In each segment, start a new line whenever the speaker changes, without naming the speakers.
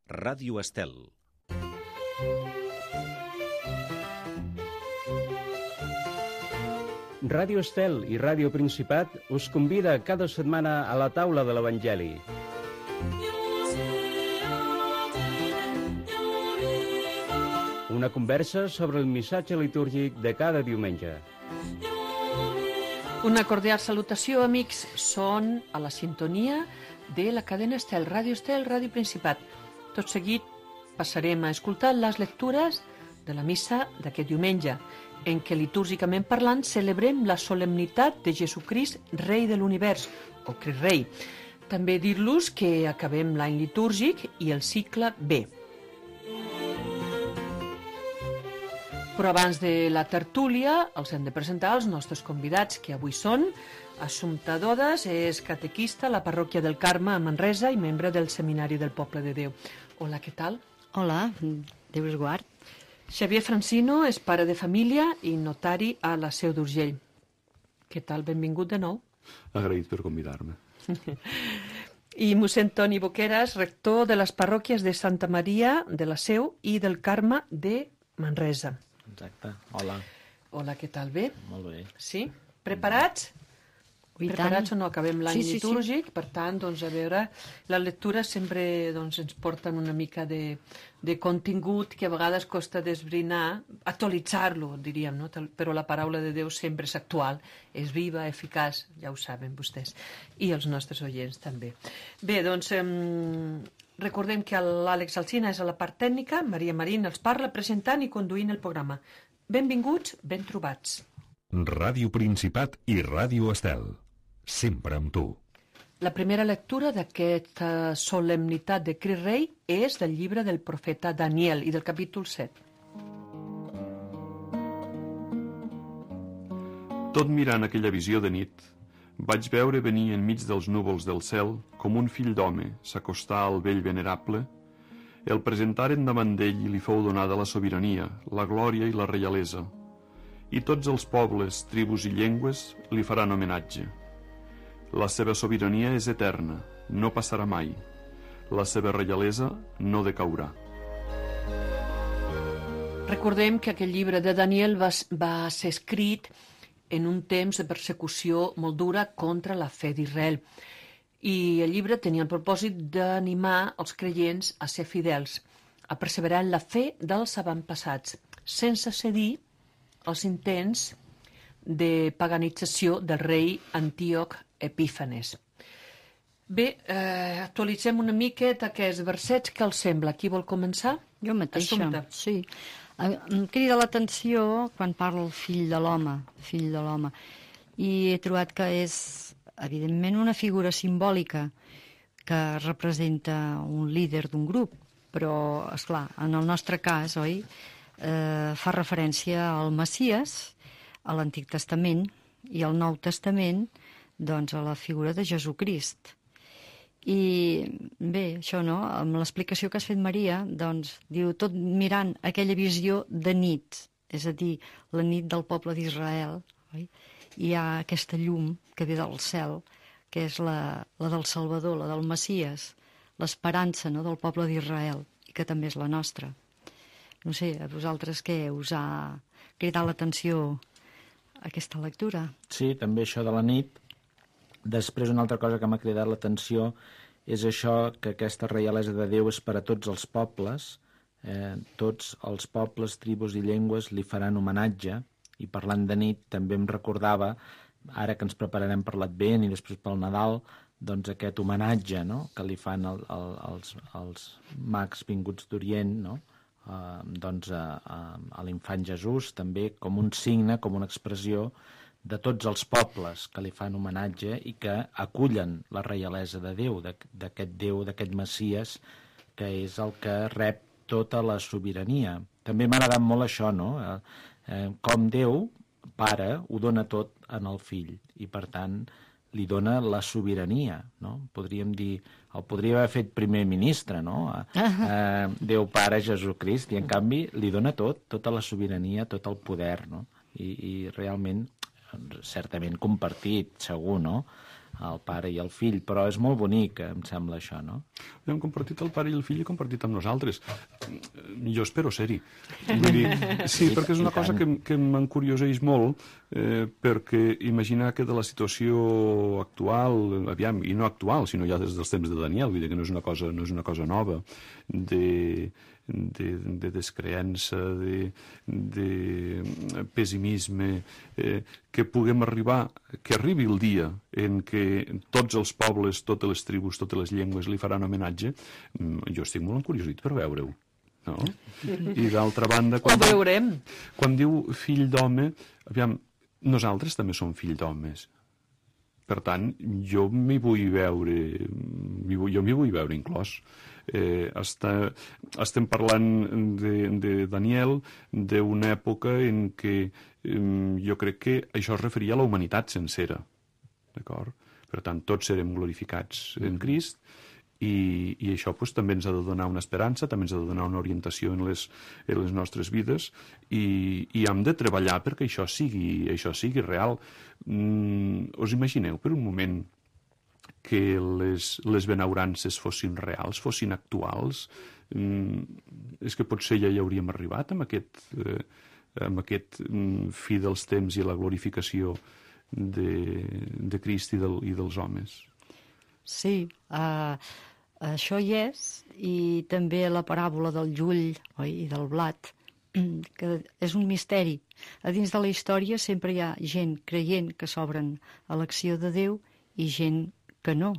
Ràdio Estel.
Ràdio Estel i Ràdio Principat us convida cada setmana a la taula de l'Evangeli. Una conversa sobre el missatge litúrgic de cada diumenge.
Una cordial salutació, amics. Són a la sintonia de la cadena Estel, Ràdio Principat. Tot seguit passarem a escoltar les lectures de la missa d'aquest diumenge, en què litúrgicament parlant celebrem la solemnitat de Jesucrist, rei de l'univers, o Crist Rei. També dir-los que acabem l'any litúrgic i el cicle B. Però abans de la tertúlia els hem de presentar els nostres convidats, que avui són Assumpta Dodes, és catequista a la parròquia del Carme a Manresa i membre del Seminari del Poble de Déu. Hola, què tal?
Hola, Déu us guard.
Xavier Francino és pare de família i notari a la Seu d'Urgell. Què tal? Benvingut de nou.
Agraït per convidar-me.
I mossèn Toni Boqueras, rector de les parròquies de Santa Maria de la Seu i del Carme de Manresa.
Exacte, hola.
Hola, què tal? Bé?
Molt bé.
Sí? Preparats? Preparats o no? Acabem l'any litúrgic, per tant, doncs, a veure, les lectures sempre ens porten una mica de contingut que a vegades costa desbrinar, actualitzar-lo, diríem, no? Però la paraula de Déu sempre és actual, és viva, eficaç, ja ho saben vostès, i els nostres oients també. Bé, doncs, recordem que l'Àlex Alsina és a la part tècnica, Maria Marín els parla presentant i conduint el programa. Benvinguts, ben trobats.
Ràdio Principat i Ràdio Estel. Sempre amb tu.
La primera lectura d'aquesta solemnitat de Crist Rei és del llibre del profeta Daniel i del capítol 7.
Tot mirant aquella visió de nit, vaig veure venir enmig dels núvols del cel, com un fill d'home, s'acostar al vell venerable. El presentaren davant d'ell i li fou donada la sobirania, la glòria i la reialesa. I tots els pobles, tribus i llengües li faran homenatge. La seva sobirania és eterna, no passarà mai. La seva reialesa no decaurà.
Recordem que aquest llibre de Daniel va ser escrit en un temps de persecució molt dura contra la fe d'Israel. I el llibre tenia el propòsit d'animar els creients a ser fidels, a perseverar en la fe dels avantpassats, sense cedir als intents de paganització del rei Antíoc Epífanes. Bé, actualitzem una miqueta aquests versets. Què els sembla? Qui vol començar?
Jo mateixa,
Assumpta.
sí. Em crida l'atenció quan parla el fill de l'home, i he trobat que és, evidentment, una figura simbòlica que representa un líder d'un grup, però, esclar, en el nostre cas, oi, fa referència al Messies, a l'Antic Testament, i al Nou Testament, doncs, a la figura de Jesucrist. I bé, això, no?, amb l'explicació que has fet, Maria, doncs, diu, tot mirant aquella visió de nit, és a dir, la nit del poble d'Israel, oi? Hi ha aquesta llum que ve del cel, que és la del Salvador, la del Messies, l'esperança, no?, del poble d'Israel, i que també és la nostra. No sé, a vosaltres què us ha cridat l'atenció aquesta lectura?
Sí, també això de la nit. Després, una altra cosa que m'ha cridat l'atenció és això, que aquesta reialesa de Déu és per a tots els pobles, tots els pobles, tribus i llengües li faran homenatge, i parlant de nit també em recordava, ara que ens prepararem per l'Advent i després pel Nadal, doncs aquest homenatge, no?, que li fan els mags vinguts d'Orient, no?, doncs a l'infant Jesús, també com un signe, com una expressió de tots els pobles que li fan homenatge i que acullen la reialesa de Déu, d'aquest Déu, d'aquest Messies, que és el que rep tota la sobirania. També m'ha agradat molt això, no?, com Déu, Pare, ho dona tot en el Fill, i per tant li dona la sobirania, no? Podríem dir, el podria haver fet primer ministre, no? Déu Pare, Jesucrist, i en canvi li dona tot, tota la sobirania, tot el poder, no? I realment, certament compartit, segur, no?, el pare i el fill, però és molt bonic, em sembla això, no?
Hem compartit el pare i el fill i compartit amb nosaltres. Jo espero ser-hi. Vull dir, sí, perquè és una cosa que m'encurioseix molt, perquè imagina que de la situació actual, aviam, i no actual, sinó ja des dels temps de Daniel, vull dir que no és una cosa nova, de descreença, de pessimisme, que puguem arribar, que arribi el dia en què tots els pobles, totes les tribus, totes les llengües li faran homenatge, jo estic molt encuriosit per veure-ho. No? I d'altra banda...
Ho veurem.
Quan diu fill d'home, aviam, nosaltres també som fill d'homes. Per tant, jo m'hi vull veure inclòs. Estem parlant de Daniel, d'una època en què jo crec que això es referia a la humanitat sencera. D'acord? Per tant, tots serem glorificats en Crist, i això doncs, també ens ha de donar una esperança, també ens ha de donar una orientació en les nostres vides, i hem de treballar perquè això sigui real. Us imagineu per un moment que les benaurances fossin reals, fossin actuals? És que potser ja hi hauríem arribat amb aquest fi dels temps i la glorificació de Crist i dels homes.
Sí, això hi és, i també la paràbola del llull, oi, i del blat, que és un misteri. A dins de la història sempre hi ha gent creient que s'obren a l'acció de Déu i gent que no,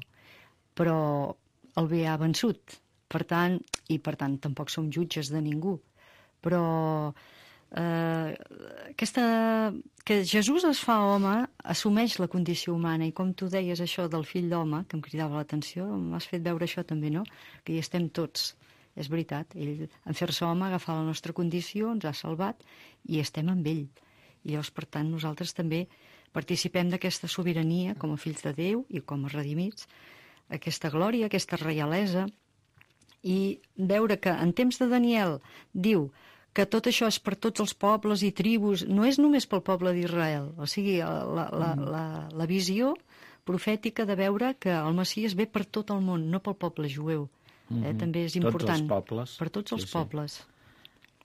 però el bé ha vençut. Per tant tampoc som jutges de ningú. Però que Jesús es fa home, assumeix la condició humana, i com tu deies això del fill d'home, que em cridava l'atenció, m'has fet veure això també, no? Que hi estem tots. És veritat, ell, en fer-se home, agafar la nostra condició, ens ha salvat, i estem amb ell. I llavors, per tant, nosaltres també participem d'aquesta sobirania com a fills de Déu i com a redimits, aquesta glòria, aquesta reialesa, i veure que en temps de Daniel diu que tot això és per tots els pobles i tribus, no és només pel poble d'Israel, o sigui, la visió profètica de veure que el Messies ve per tot el món, no pel poble jueu. També és important.
Tots els pobles.
Per tots els pobles.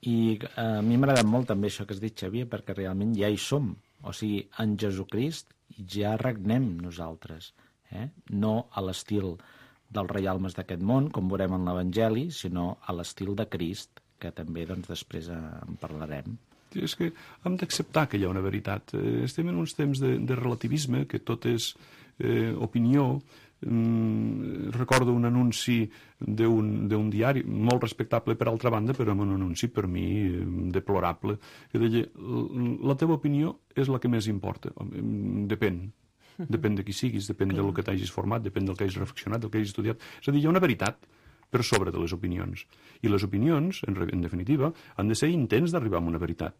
I a mi m'ha agradat molt també això que has dit, Xavier, perquè realment ja hi som. O sigui, en Jesucrist ja regnem nosaltres. No a l'estil dels reialmes d'aquest món, com veurem en l'Evangeli, sinó a l'estil de Crist, que també doncs, després en parlarem.
És que hem d'acceptar que hi ha una veritat. Estem en uns temps de relativisme, que tot és opinió. Recordo un anunci d'un diari, molt respectable per altra banda, però un anunci per mi deplorable, que deia, la teva opinió és la que més importa. Depèn de qui siguis, depèn del que t'hagis format, depèn del que hagis reflexionat, del que hagis estudiat. És a dir, hi ha una veritat per sobre de les opinions. I les opinions, en definitiva, han de ser intents d'arribar a una veritat.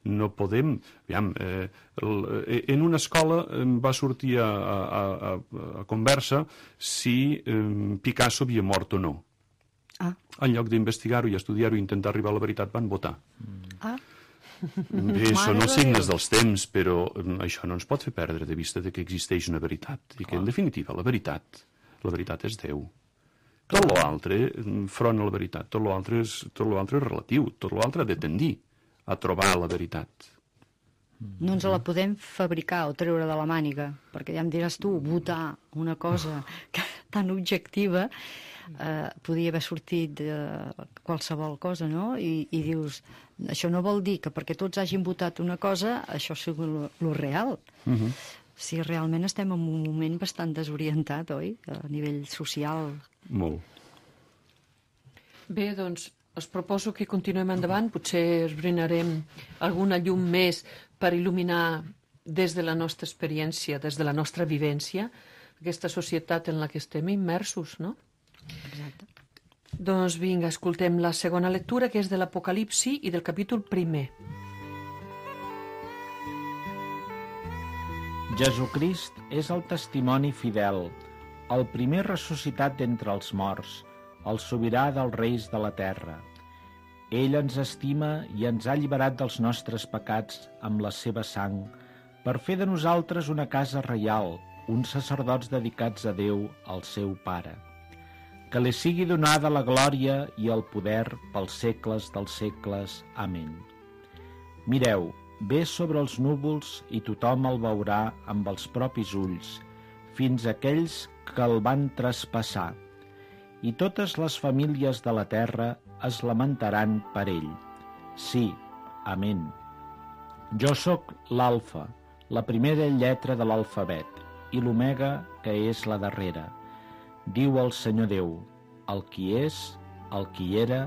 No podem... Aviam, en una escola va sortir a conversa si Picasso havia mort o no. En lloc d'investigar-ho i estudiar-ho i intentar arribar a la veritat, van votar. Bé, són els signes dels temps, però això no ens pot fer perdre de vista que existeix una veritat. I que, en definitiva, la veritat és Déu. Tot l'altre, front a la veritat, tot l'altre és relatiu, tot l'altre ha de tendir a trobar la veritat.
No ens la podem fabricar o treure de la màniga, perquè ja em diràs tu, votar una cosa tan objectiva podia haver sortit de qualsevol cosa, no? I dius, això no vol dir que perquè tots hagin votat una cosa, això sigui lo real. Si realment estem en un moment bastant desorientat, oi? A nivell social.
Molt.
Bé, doncs, us proposo que continuem endavant. Potser esbrinarem alguna llum més per il·luminar des de la nostra experiència, des de la nostra vivència, aquesta societat en la que estem immersos, no?
Exacte.
Doncs vinga, escoltem la segona lectura, que és de l'Apocalipsi i del capítol 1.
Jesucrist és el testimoni fidel, el primer ressuscitat d'entre els morts, el sobirà dels reis de la terra. Ell ens estima i ens ha alliberat dels nostres pecats amb la seva sang, per fer de nosaltres una casa reial, uns sacerdots dedicats a Déu, el seu Pare. Que li sigui donada la glòria i el poder pels segles dels segles. Amén. Mireu, ve sobre els núvols i tothom el veurà amb els propis ulls, fins a aquells que el van traspassar, i totes les famílies de la terra es lamentaran per ell. Sí, amén. Jo sóc l'alfa, la primera lletra de l'alfabet, i l'omega, que és la darrera. Diu el Senyor Déu, el qui és, el qui era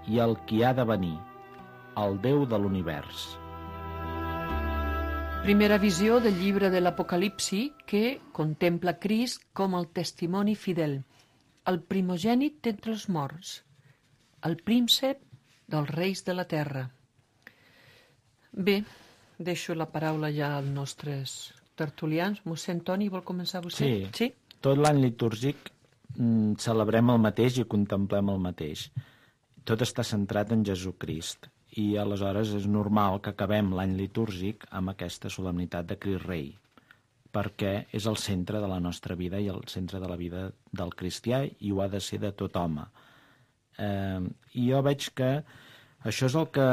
i el qui ha de venir, el Déu de l'univers.
Primera visió del llibre de l'Apocalipsi que contempla Crist com el testimoni fidel, el primogènit d'entre els morts, el príncep dels reis de la terra. Bé, deixo la paraula ja als nostres tertulians. Mossèn Toni, vol començar vostè?
Sí. Tot l'any litúrgic celebrem el mateix i contemplem el mateix. Tot està centrat en Jesucrist i aleshores és normal que acabem l'any litúrgic amb aquesta solemnitat de Crist Rei, perquè és el centre de la nostra vida i el centre de la vida del cristià i ho ha de ser de tot home. I jo veig que això és el que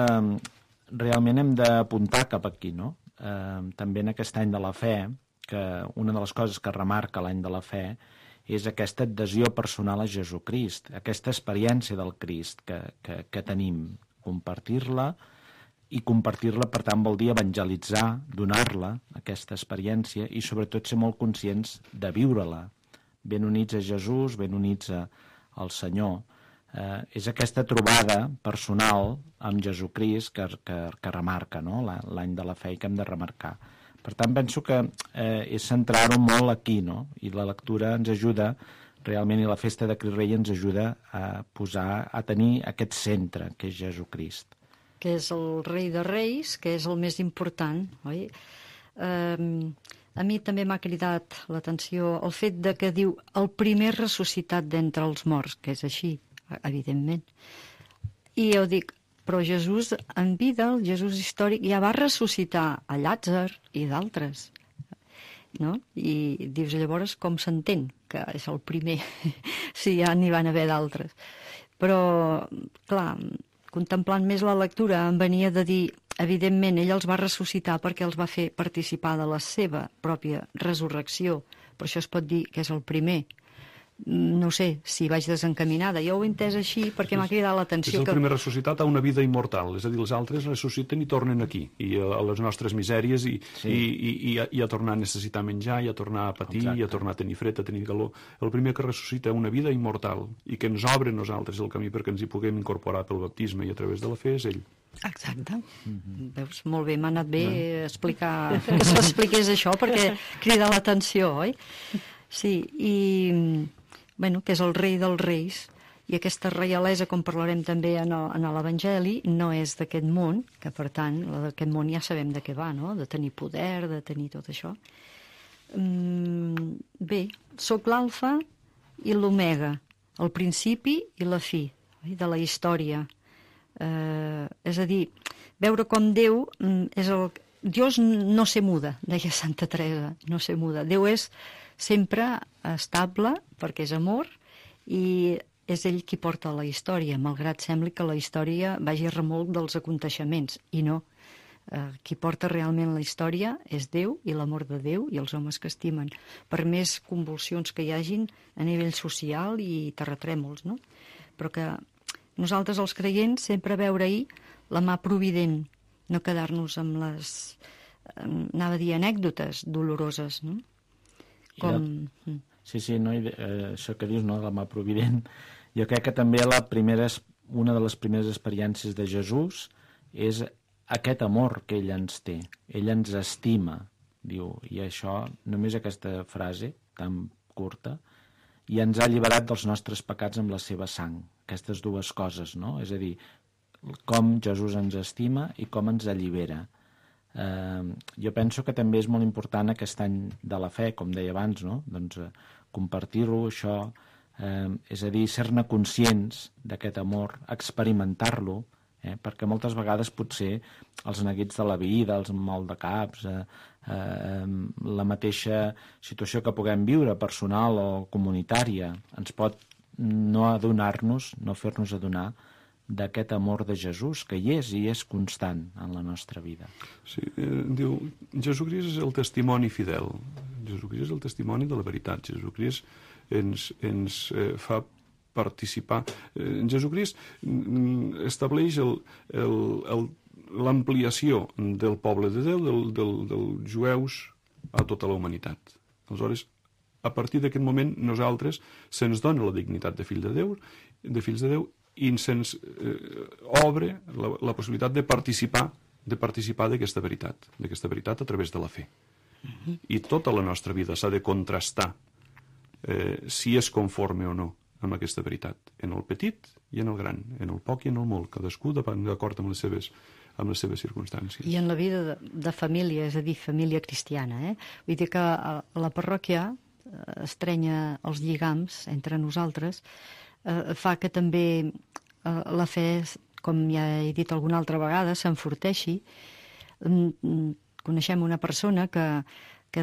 realment hem d'apuntar cap aquí, no? També en aquest any de la fe, que una de les coses que remarca l'any de la fe és aquesta adhesió personal a Jesucrist, aquesta experiència del Crist que tenim, compartir-la, i compartir-la, per tant, vol dir evangelitzar, donar-la, aquesta experiència, i sobretot ser molt conscients de viure-la, ben units a Jesús, ben units al Senyor. És aquesta trobada personal amb Jesucrist que remarca, no? L'any de la fe i que hem de remarcar. Per tant, penso que és centrar-ho molt aquí, no? I la lectura ens ajuda, realment, i la festa de Crist Rei ens ajuda a tenir aquest centre, que és Jesucrist.
Que és el rei de reis, que és el més important, oi? A mi també m'ha cridat l'atenció el fet de que diu el primer ressuscitat d'entre els morts, que és així, evidentment. I jo dic, però Jesús en vida, el Jesús històric, ja va ressuscitar a Llàtzer i d'altres, no? I dius, llavors, com s'entén que és el primer, si ja n'hi van haver d'altres. Però, clar, contemplant més la lectura, em venia de dir, evidentment, ell els va ressuscitar perquè els va fer participar de la seva pròpia resurrecció, però això es pot dir que és el primer. No sé si vaig desencaminada. Jo ho he entès així perquè m'ha cridat l'atenció.
És el primer ressuscitat a una vida immortal, és a dir, els altres ressusciten i tornen aquí, i a les nostres misèries, i a tornar a necessitar menjar, i a tornar a patir, i a tornar a tenir fred, a tenir calor. El primer que ressuscita una vida immortal i que ens obre a nosaltres el camí perquè ens hi puguem incorporar pel baptisme i a través de la fe és ell.
Exacte. Veus, molt bé, m'ha anat bé explicar que s'expliqués això perquè crida l'atenció, oi? Sí, i bueno, que és el rei dels reis, i aquesta reialesa, com parlarem també en l'Evangeli, no és d'aquest món, que per tant, la d'aquest món ja sabem de què va, no? De tenir poder, de tenir tot això. Bé, sóc l'alfa i l'omega, el principi i la fi de la història. És a dir, veure com Déu és el... Dios no se muda, deia Santa Teresa, no se muda. Déu és sempre estable, perquè és amor, i és ell qui porta la història, malgrat sembli que la història vagi a remolc dels aconteixements, i no. Qui porta realment la història és Déu i l'amor de Déu i els homes que estimen, per més convulsions que hi hagin a nivell social i terratrèmols, no? Però que nosaltres, els creients, sempre veure-hi la mà provident, no quedar-nos amb les, anava a dir, anècdotes doloroses, no? Com...
Sí, no, això que dius, no, la mà provident, jo crec que també una de les primeres experiències de Jesús és aquest amor que ell ens té, ell ens estima, diu, i això, només aquesta frase tan curta, i ens ha alliberat dels nostres pecats amb la seva sang, aquestes dues coses, no? És a dir, com Jesús ens estima i com ens allibera. Jo penso que també és molt important aquest any de la fe, com deia abans, no? Doncs compartir-ho, això, és a dir, ser-ne conscients d'aquest amor, experimentar-lo, perquè moltes vegades potser els neguits de la vida, els mal de caps, la mateixa situació que puguem viure, personal o comunitària, ens pot no adonar-nos, no fer-nos adonar d'aquest amor de Jesús, que hi és constant en la nostra vida.
Sí, diu, Jesucrist és el testimoni fidel, Jesucrist és el testimoni de la veritat, Jesucrist ens fa participar. Jesucrist estableix l'ampliació del poble de Déu, dels jueus a tota la humanitat. Aleshores, a partir d'aquest moment, nosaltres se'ns dona la dignitat de fills de Déu, i se'ns obre la possibilitat de participar d'aquesta veritat a través de la fe. I tota la nostra vida s'ha de contrastar si és conforme o no amb aquesta veritat, en el petit i en el gran, en el poc i en el molt, cadascú d'acord amb les seves circumstàncies.
I en la vida de família, és a dir, família cristiana, vull dir que la parròquia estrenya els lligams entre nosaltres, fa que també la fe, com ja he dit alguna altra vegada, s'enforteixi. Coneixem una persona que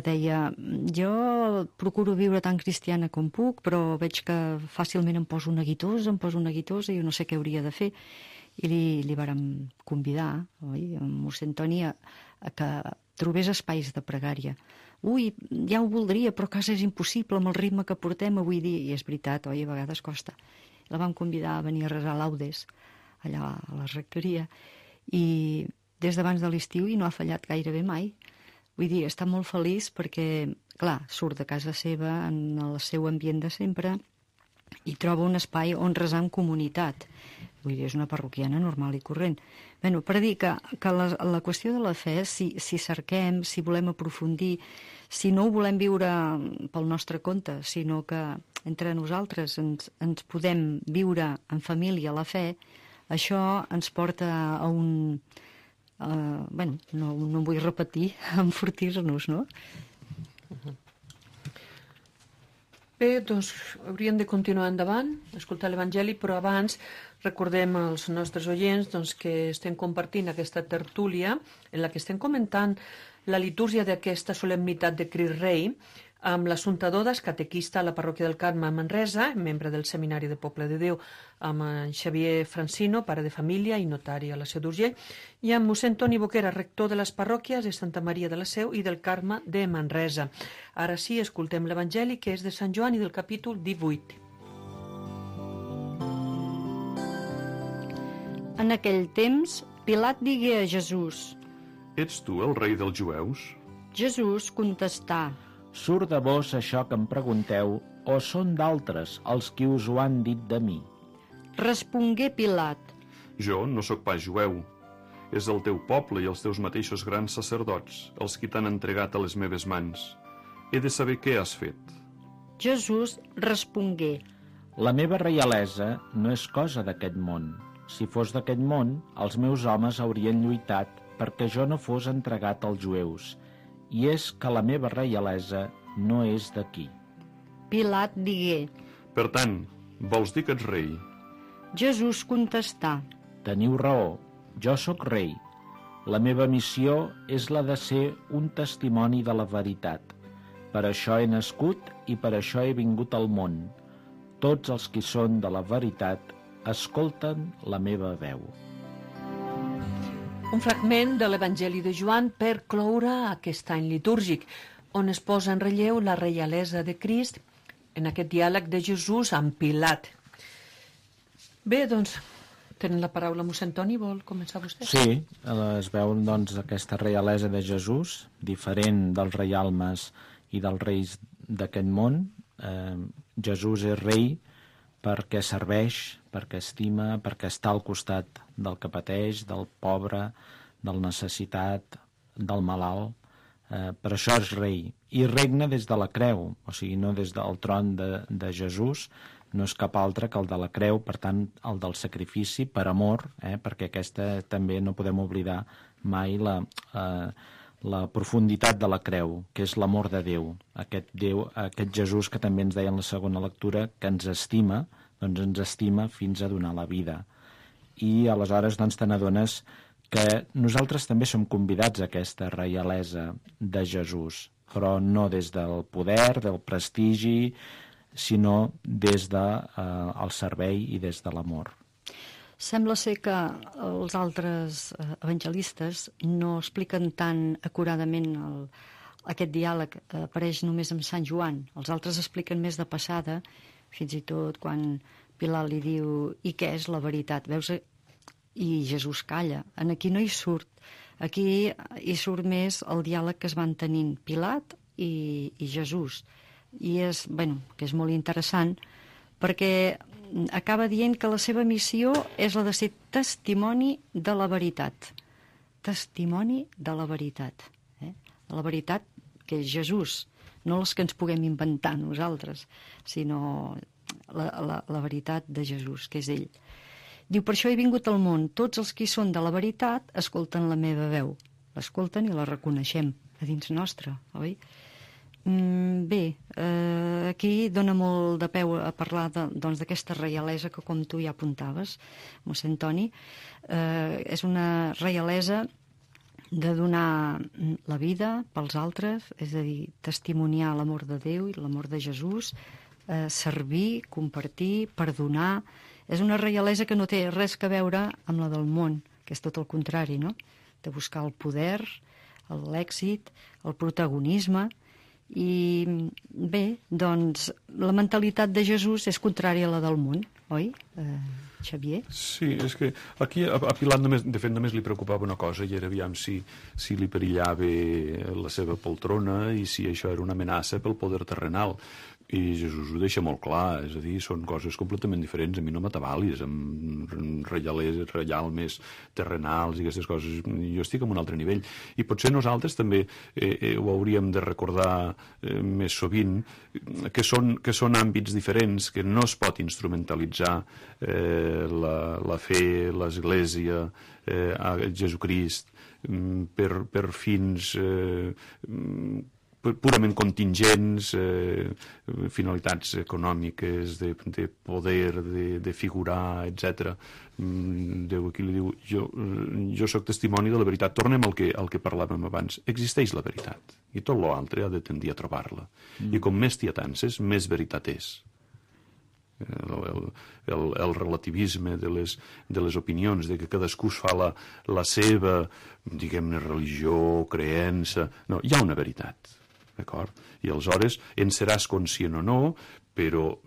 deia: jo procuro viure tan cristiana com puc, però veig que fàcilment em poso neguitosa i jo no sé què hauria de fer. I li vàrem convidar, oi, a mossèn Toni, a que trobés espais de pregària. Ui, ja ho voldria, però a casa és impossible amb el ritme que portem avui dia. I és veritat, oi, a vegades costa. La vam convidar a venir a resar laudes, allà a la rectoria, i des d'abans de l'estiu i no ha fallat gairebé mai. Vull dir, està molt feliç perquè, clar, surt de casa seva, en el seu ambient de sempre, i troba un espai on resar en comunitat. Vull dir, és una parroquiana normal i corrent. Bé, per dir que la qüestió de la fe, si cerquem, si volem aprofundir, si no ho volem viure pel nostre compte, sinó que entre nosaltres ens podem viure en família la fe, això ens porta a un... no em vull repetir, a enfortir-nos, no?
Bé, doncs hauríem de continuar endavant, escoltar l'Evangeli, però abans recordem als nostres oients que estem compartint aquesta tertúlia en la que estem comentant la litúrgia d'aquesta solemnitat de Crist Rei amb l'Assumpta Dodas, catequista a la parròquia del Carme a Manresa, membre del Seminari de Poble de Déu, amb en Xavier Francino, pare de família i notari a la Seu d'Urgell, i amb mossèn Toni Boquera, rector de les parròquies de Santa Maria de la Seu i del Carme de Manresa. Ara sí, escoltem l'Evangeli, que és de Sant Joan i del capítol 18.
En aquell temps, Pilat digué a Jesús:
Ets tu el rei dels jueus?
Jesús contestà:
Surt de vos això que em pregunteu, o són d'altres els qui us ho han dit de mi?
Respongué Pilat:
Jo no sóc pas jueu. És el teu poble i els teus mateixos grans sacerdots els qui t'han entregat a les meves mans. He de saber què has fet.
Jesús respongué:
La meva reialesa no és cosa d'aquest món. Si fos d'aquest món, els meus homes haurien lluitat perquè jo no fos entregat als jueus. I és que la meva reialesa no és d'aquí.
Pilat digué:
Per tant, vols dir que ets rei?
Jesús contestà:
Teniu raó, jo sóc rei. La meva missió és la de ser un testimoni de la veritat. Per això he nascut i per això he vingut al món. Tots els qui són de la veritat escolten la meva veu.
Un fragment de l'Evangeli de Joan per cloure aquest any litúrgic, on es posa en relleu la reialesa de Crist en aquest diàleg de Jesús amb Pilat. Bé, doncs, tenen la paraula mossèn Toni, vol començar vostè?
Sí, es veu doncs aquesta reialesa de Jesús, diferent dels reialmes i dels reis d'aquest món. Jesús és rei perquè serveix, perquè estima, perquè està al costat del que pateix, del pobre, del necessitat, del malalt. Per això és rei. I regna des de la creu, o sigui, no des del tron de Jesús, no és cap altre que el de la creu, per tant, el del sacrifici per amor, perquè aquesta també no podem oblidar mai la profunditat de la creu, que és l'amor de Déu. Aquest Jesús que també ens deia en la segona lectura, que ens estima, doncs ens estima fins a donar la vida. i aleshores doncs, te n'adones que nosaltres també som convidats a aquesta reialesa de Jesús, però no des del poder, del prestigi, sinó des del servei i des de l'amor.
Sembla ser que els altres evangelistes no expliquen tan acuradament aquest diàleg, apareix només amb Sant Joan. Els altres expliquen més de passada, fins i tot quan Pilat li diu «I què és la veritat?» Veus? I Jesús calla. Aquí no hi surt. Aquí hi surt més el diàleg que es van tenint Pilat i Jesús. I que és molt interessant perquè acaba dient que la seva missió és la de ser testimoni de la veritat. Testimoni de la veritat. La veritat que és Jesús, no les que ens puguem inventar nosaltres, sinó la veritat de Jesús, que és ell. Diu, per això he vingut al món. Tots els que hi són de la veritat escolten la meva veu. L'escolten i la reconeixem a dins nostre, oi? Bé, aquí dona molt de peu a parlar d'aquesta reialesa que, com tu ja apuntaves, mossèn Toni, és una reialesa de donar la vida pels altres, és a dir, testimoniar l'amor de Déu i l'amor de Jesús, servir, compartir, perdonar. És una reialesa que no té res a veure amb la del món, que és tot el contrari, no? De buscar el poder, l'èxit, el protagonisme. I bé, doncs, la mentalitat de Jesús és contrària a la del món, oi, Xavier?
Sí, és que aquí a Pilat de fet només li preocupava una cosa, i era aviam si li perillava la seva poltrona i si això era una amenaça pel poder terrenal. I Jesús ho deixa molt clar, és a dir, són coses completament diferents. A mi no m'atabalis amb reial més terrenals i aquestes coses. Jo estic en un altre nivell. I potser nosaltres també ho hauríem de recordar més sovint, que són àmbits diferents, que no es pot instrumentalitzar la fe, l'Església, a Jesucrist, per fins purament contingents, finalitats econòmiques, de poder, de figurar, etc. Déu aquí li diu, jo sóc testimoni de la veritat. Tornem al que parlàvem abans. Existeix la veritat, i tot l'altre ha de tendir a trobar-la. I com més t'hi atances, més veritat és. El relativisme de les opinions, de que cadascú es fa la seva, diguem-ne, religió, creença... No, hi ha una veritat. D'acord? I aleshores en seràs conscient o no, però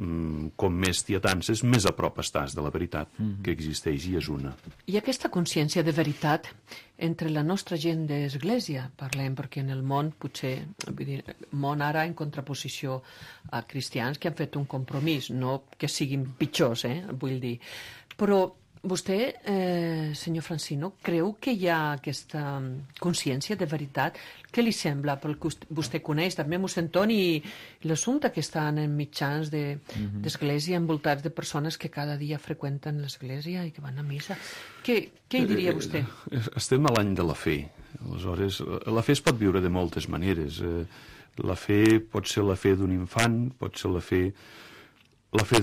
com més t'hi atances, més a prop estàs de la veritat que existeix i és una.
I aquesta consciència de veritat entre la nostra gent d'església, parlem, perquè en el món potser, vull dir, món ara en contraposició a cristians que han fet un compromís, no que siguin pitjors, vull dir. Però vostè, senyor Francino, creu que hi ha aquesta consciència de veritat? Què li sembla, pel que vostè coneix, també mossèn Toni, i l'assumpte que estan en mitjans d'església envoltats de persones que cada dia freqüenten l'església i que van a missa? Què hi diria vostè?
Estem a l'any de la fe. Aleshores, la fe es pot viure de moltes maneres. La fe pot ser la fe d'un infant, pot ser la fe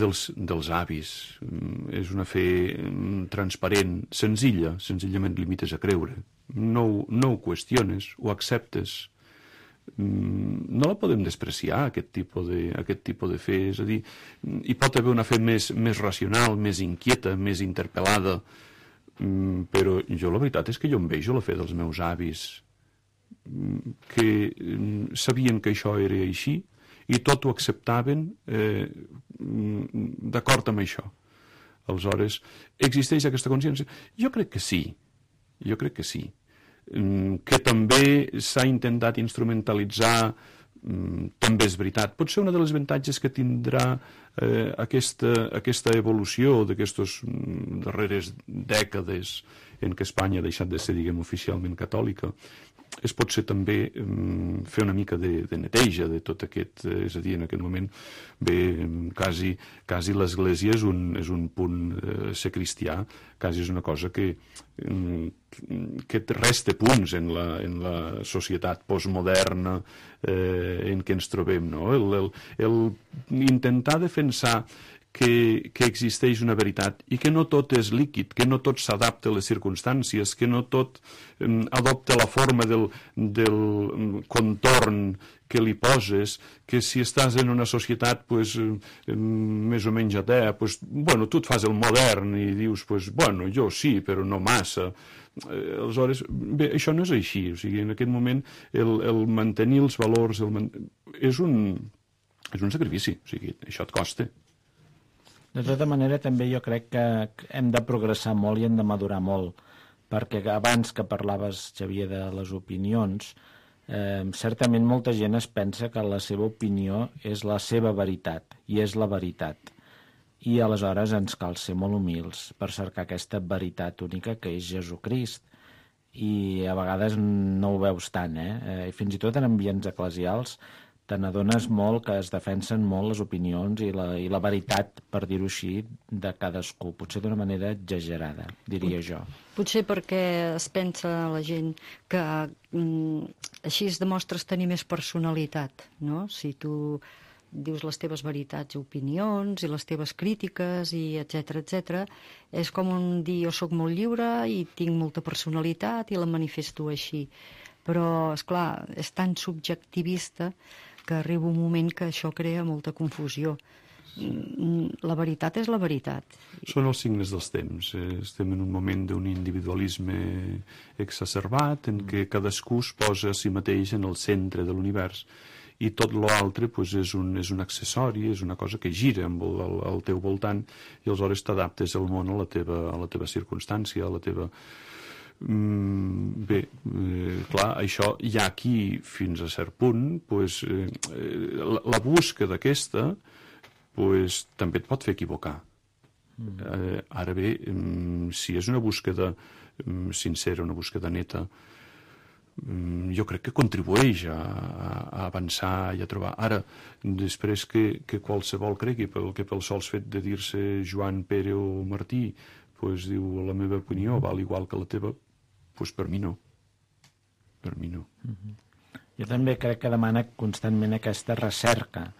dels avis. És una fe transparent, senzilla, senzillament limites a creure. No ho qüestiones, ho acceptes. No la podem despreciar, aquest tipus de fe. És a dir, hi pot haver una fe més racional, més inquieta, més interpel·lada, però jo la veritat és que jo em vejo la fe dels meus avis, que sabien que això era així, i tot ho acceptaven d'acord amb això. Aleshores, existeix aquesta consciència? Jo crec que sí. Que també s'ha intentat instrumentalitzar, també és veritat. Potser una de les avantatges que tindrà aquesta evolució d'aquestes darreres dècades en què Espanya ha deixat de ser, diguem, oficialment catòlica, és potser també fer una mica de neteja de tot aquest... És a dir, en aquest moment, bé, quasi l'Església és un punt ser cristià, quasi és una cosa que resta punts en la societat postmoderna en què ens trobem, no? El intentar defensar que existeix una veritat i que no tot és líquid, que no tot s'adapta a les circumstàncies, que no tot adopta la forma del contorn que li poses, que si estàs en una societat més o menys atea, tu et fas el modern i dius, jo sí, però no massa. Aleshores, bé, això no és així. O sigui, en aquest moment el mantenir els valors és un sacrifici. O sigui, això et costa.
De tota manera, també jo crec que hem de progressar molt i hem de madurar molt, perquè abans que parlaves, Xavier, de les opinions, certament molta gent es pensa que la seva opinió és la seva veritat, i és la veritat. I aleshores ens cal ser molt humils per cercar aquesta veritat única que és Jesucrist. I a vegades no ho veus tant, I fins i tot en ambients eclesials te n'adones molt que es defensen molt les opinions i la veritat, per dir-ho així, de cadascú, potser d'una manera exagerada, diria jo.
Potser perquè es pensa la gent que així es demostres tenir més personalitat, no? Si tu dius les teves veritats i opinions i les teves crítiques i etc, és com dir jo sóc molt lliure i tinc molta personalitat i la manifesto així. Però, esclar, és tan subjectivista que arriba un moment que això crea molta confusió. La veritat és la veritat.
Són els signes dels temps. Estem en un moment d'un individualisme exacerbat en què cadascú es posa a si mateix en el centre de l'univers i tot l'altre és un accessori, és una cosa que gira al teu voltant i aleshores t'adaptes al món a la teva circumstància, a la teva... Bé, clar, això hi ha aquí fins a cert punt, la búsqueda aquesta també et pot fer equivocar. Ara bé, si és una búsqueda sincera, una búsqueda neta, jo crec que contribueix a avançar i a trobar. Ara, després que qualsevol cregui que pel sols fet de dir-se Joan, Pere o Martí diu la meva opinió val igual que la teva, per mi no. Per mi no.
Jo també crec que demana constantment aquesta recerca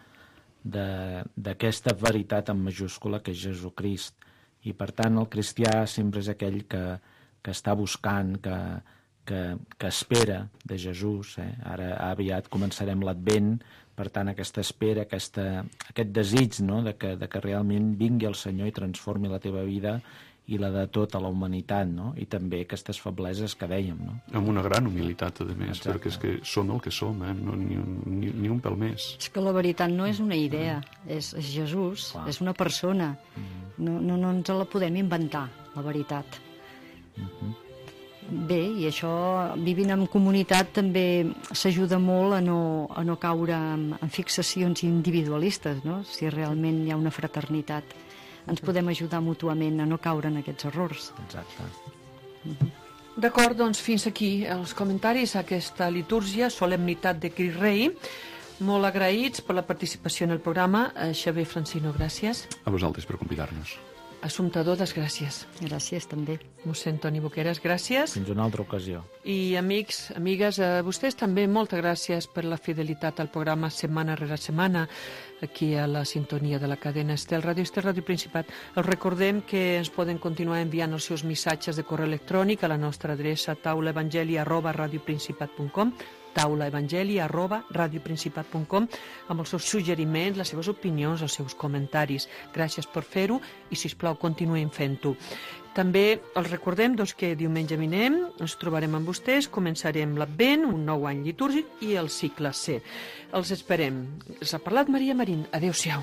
d'aquesta veritat en majúscula que és Jesucrist. I per tant el cristià sempre és aquell que està buscant, que espera de Jesús. Ara aviat començarem l'Advent, per tant aquesta espera, aquest desig, no? de que realment vingui el Senyor i transformi la teva vida i la de tota la humanitat, no? I també aquestes febleses que dèiem, no?
Amb una gran humilitat, a més, perquè és que som el que som, no, ni un pèl més.
És que la veritat no és una idea, és Jesús, és una persona. No ens la podem inventar, la veritat. Bé, i això, vivint en comunitat, també s'ajuda molt a no caure en fixacions individualistes, no? Si realment hi ha una fraternitat. Ens podem ajudar mútuament a no caure en aquests errors.
Exacte.
D'acord, doncs fins aquí els comentaris a aquesta litúrgia, solemnitat de Crist Rei. Molt agraïts per la participació en el programa. Xavier Francino, gràcies.
A vosaltres per convidar-nos.
Assumpta Dodes, gràcies.
Gràcies, també.
Mossèn Toni Boqueras, gràcies.
Fins una altra ocasió.
I amics, amigues, a vostès també moltes gràcies per la fidelitat al programa setmana rere setmana, aquí a la sintonia de la cadena Estel Ràdio, Estel Ràdio Principat. Els recordem que ens poden continuar enviant els seus missatges de correu electrònic a la nostra adreça taulaevangeli@radioprincipat.com, taulaevangeli@radioprincipat.com, amb els seus suggeriments, les seves opinions, els seus comentaris. Gràcies per fer-ho i, sisplau, continuem fent-ho. També els recordem que diumenge vinent ens trobarem amb vostès, començarem l'Advent, un nou any litúrgic i el cicle C. Els esperem. Els ha parlat Maria Marín. Adéu-siau.